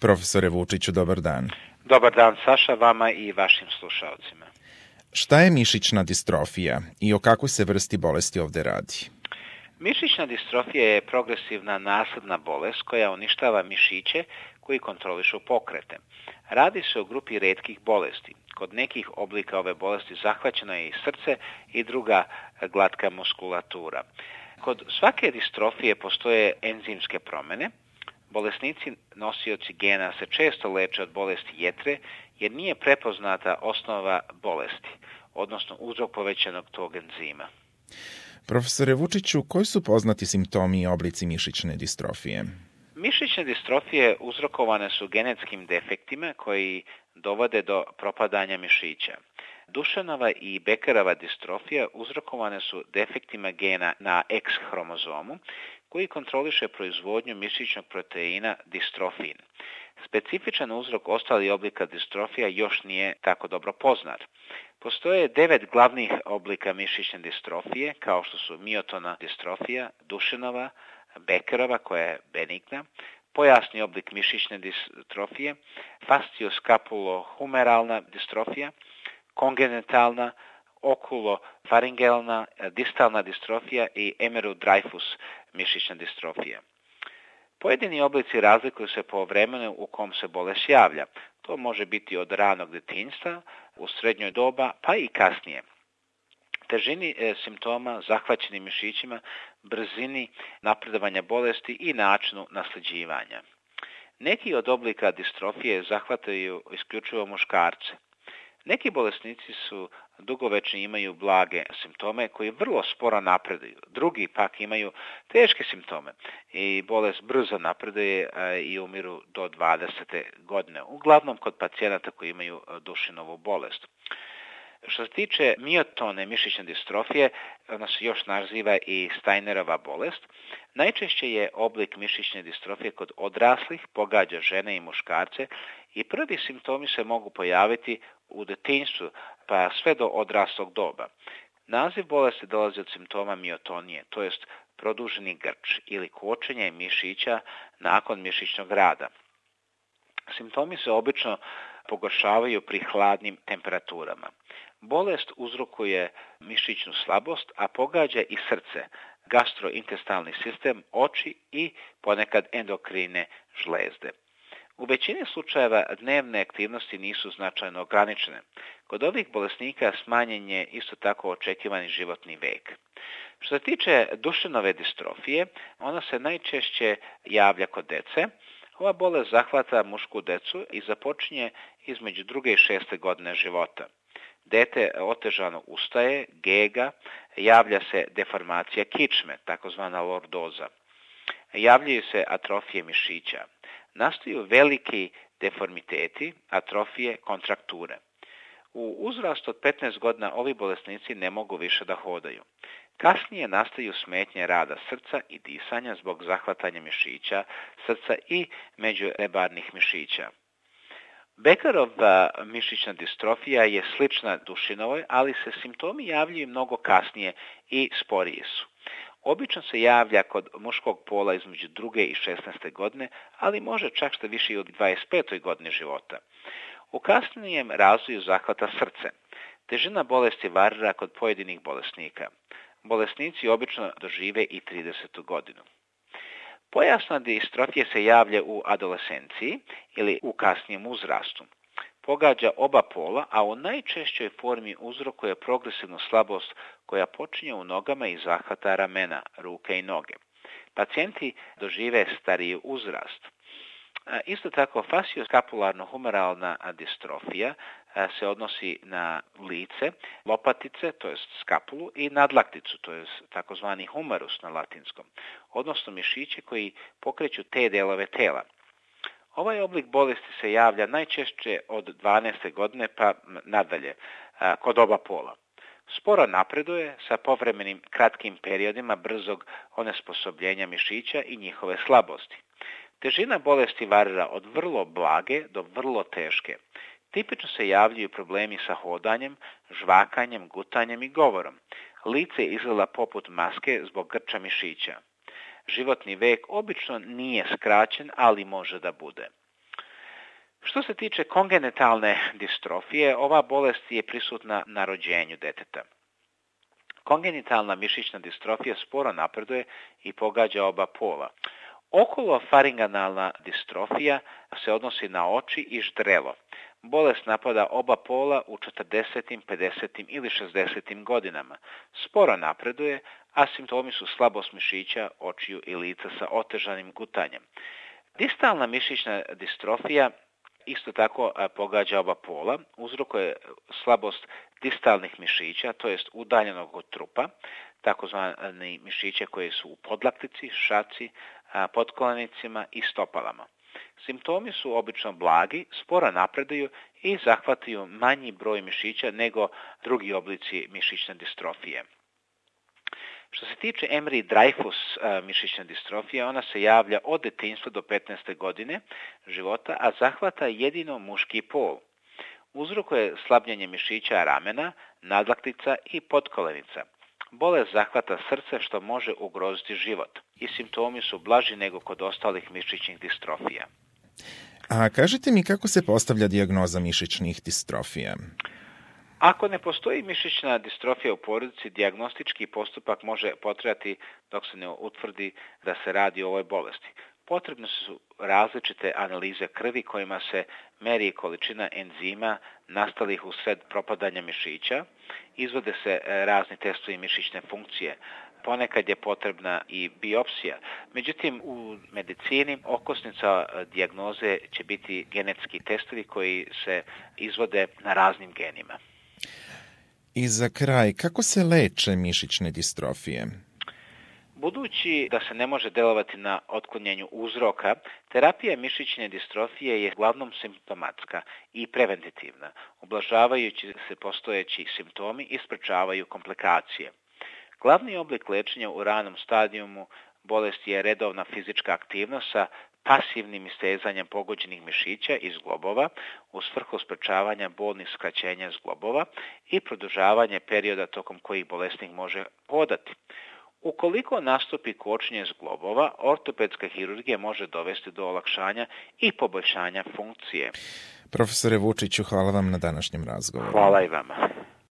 Profesore Vučiću, dobar dan. Dobar dan, Saša, vama i vašim slušalcima. Šta je mišićna distrofija i o kakvoj se vrsti bolesti ovde radi? Mišićna distrofija je progresivna nasledna bolest koja uništava mišiće koji kontrolišu pokrete. Radi se o grupi retkih bolesti. Kod nekih oblika ove bolesti zahvaćeno je i srce i druga glatka muskulatura. Kod svake distrofije postoje enzimske promene. Bolesnici nosioci gena se često leče od bolesti jetre jer nije prepoznata osnova bolesti, odnosno uzrok povećanog tog enzima. Profesore Vučiću, koji su poznati simptomi i oblici mišićne distrofije? Mišićne distrofije uzrokovane su genetskim defektima koji dovode do propadanja mišića. Dušenova i Beckerova distrofija uzrokovane su defektima gena na X hromozomu koji kontroliše proizvodnju mišićnog proteina distrofin. Specifičan uzrok ostalih oblika distrofija još nije tako dobro poznat. Postoje 9 glavnih oblika mišićne distrofije, kao što su miotona distrofija, Dušenova, Beckerova koja je benigna, pojasni oblik mišićne distrofije, fascioskapulohumeralna distrofija, kongenitalna, okulofaringealna, distalna distrofija i Emerow-Dreifuss mišićna distrofija. Pojedini oblici razlikuju se po vremenu u kom se bolest javlja. To može biti od ranog detinjstva, u srednjoj doba, pa i kasnije. Težini simptoma, zahvaćenim mišićima, brzini napredovanja bolesti i načinu nasljeđivanja. Neki od oblika distrofije zahvataju isključivo muškarce. Neki bolesnici su dugovečni i imaju blage simptome koji vrlo sporo napreduju. Drugi pak imaju teške simptome i bolest brzo napreduje i umiru do 20. godine. Uglavnom kod pacijenata koji imaju Dušenovu bolest. Što se tiče miotone mišićne distrofije, ona se još naziva i Steinerova bolest. Najčešće je oblik mišićne distrofije kod odraslih, pogađa žene i muškarce i prvi simptomi se mogu pojaviti u detinjstvu pa sve do odraslog doba. Naziv bolesti dolazi od simptoma miotonije, to jest produženi grč ili kočenje mišića nakon mišićnog rada. Simptomi se obično pogoršavaju pri hladnim temperaturama. Bolest uzrokuje mišićnu slabost, a pogađa i srce, gastrointestalni sistem, oči i ponekad endokrine žlezde. U većini slučajeva dnevne aktivnosti nisu značajno ograničene. Kod ovih bolesnika smanjen je isto tako očekivani životni vek. Što se tiče Dušenove distrofije, ona se najčešće javlja kod dece. Ova bolest zahvata mušku decu i započinje između 2. i 6. godine života. Dete otežano ustaje, gega, javlja se deformacija kičme, takozvana lordoza. Javljaju se atrofije mišića. Nastaju veliki deformiteti, atrofije, kontrakture. U uzrastu od 15 godina ovi bolesnici ne mogu više da hodaju. Kasnije nastaju smetnje rada srca i disanja zbog zahvatanja mišića, srca i međurebarnih mišića. Beckerova mišićna distrofija je slična Dušenovoj, ali se simptomi javljaju mnogo kasnije i sporiji su. Obično se javlja kod muškog pola između 2. i 16. godine, ali može čak što više i u 25. godini života. U kasnijem razvoju zahvata srce. Težina bolesti varira kod pojedinih bolesnika. Bolesnici obično dožive i 30. godinu. Pojasna distrofija se javlja u adolescenciji ili u kasnijem uzrastu. Pogađa oba pola, a u najčešćoj formi uzrokuje progresivnu slabost koja počinje u nogama i zahvata ramena, ruke i noge. Pacijenti dožive stariji uzrast. Isto tako, fascioskapularno-humeralna distrofija se odnosi na lice, lopatice, to je skapulu, i nadlakticu, to je takozvani humerus na latinskom, odnosno mišiće koji pokreću te delove tela. Ovaj oblik bolesti se javlja najčešće od 12. godine pa nadalje, kod oba pola. Sporo napreduje sa povremenim kratkim periodima brzog onesposobljenja mišića i njihove slabosti. Težina bolesti varira od vrlo blage do vrlo teške. Tipično se javljaju problemi sa hodanjem, žvakanjem, gutanjem i govorom. Lice izgleda poput maske zbog grča mišića. Životni vek obično nije skraćen, ali može da bude. Što se tiče kongenitalne distrofije, ova bolest je prisutna na rođenju deteta. Kongenitalna mišićna distrofija sporo napreduje i pogađa oba pola. Okolofaringalna distrofija se odnosi na oči i ždrelo. Bolest napada oba pola u 40., 50. ili 60. godinama. Sporo napreduje, a simptomi su slabost mišića, očiju i lica sa otežanim gutanjem. Distalna mišićna distrofija isto tako pogađa oba pola, uzrokuje slabost distalnih mišića, to jest udaljenog od trupa, takozvani mišiće koji su u podlaktici, šaci, potkolenicima i stopalama. Simptomi su obično blagi, sporo napreduju i zahvataju manji broj mišića nego drugi oblici mišićne distrofije. Što se tiče Emery-Dreifuss mišićne distrofije, ona se javlja od detinjstva do 15. godine života, a zahvata jedino muški pol. Uzrokuje slabljenje mišića ramena, nadlaktica i potkolenica. Bolest zahvata srce što može ugroziti život i simptomi su blaži nego kod ostalih mišićnih distrofija. A kažite mi kako se postavlja dijagnoza mišićnih distrofija? Ako ne postoji mišićna distrofija u porodici, dijagnostički postupak može potrajati dok se ne utvrdi da se radi o ovoj bolesti. Potrebne su različite analize krvi kojima se meri količina enzima nastalih usred propadanja mišića, izvode se razni testovi mišićne funkcije, ponekad je potrebna i biopsija. Međutim, u medicini okosnica dijagnoze će biti genetski testovi koji se izvode na raznim genima. I za kraj, kako se leče mišićne distrofije? Budući da se ne može delovati na otklanjanju uzroka, terapija mišićne distrofije je uglavnom simptomatska i preventativna, ublažavajući se postojeći simptomi i sprečavaju komplikacije. Glavni oblik lečenja u ranom stadijumu bolesti je redovna fizička aktivnost sa pasivnim istezanjem pogođenih mišića i zglobova u svrhu sprečavanja bolnih skraćenja zglobova i produžavanje perioda tokom kojih bolesnik može hodati. Ukoliko nastupi kočenje zglobova, ortopedska hirurgija može dovesti do olakšanja i poboljšanja funkcije. Profesore Vučiću, hvala vam na današnjem razgovoru. Hvala i vama.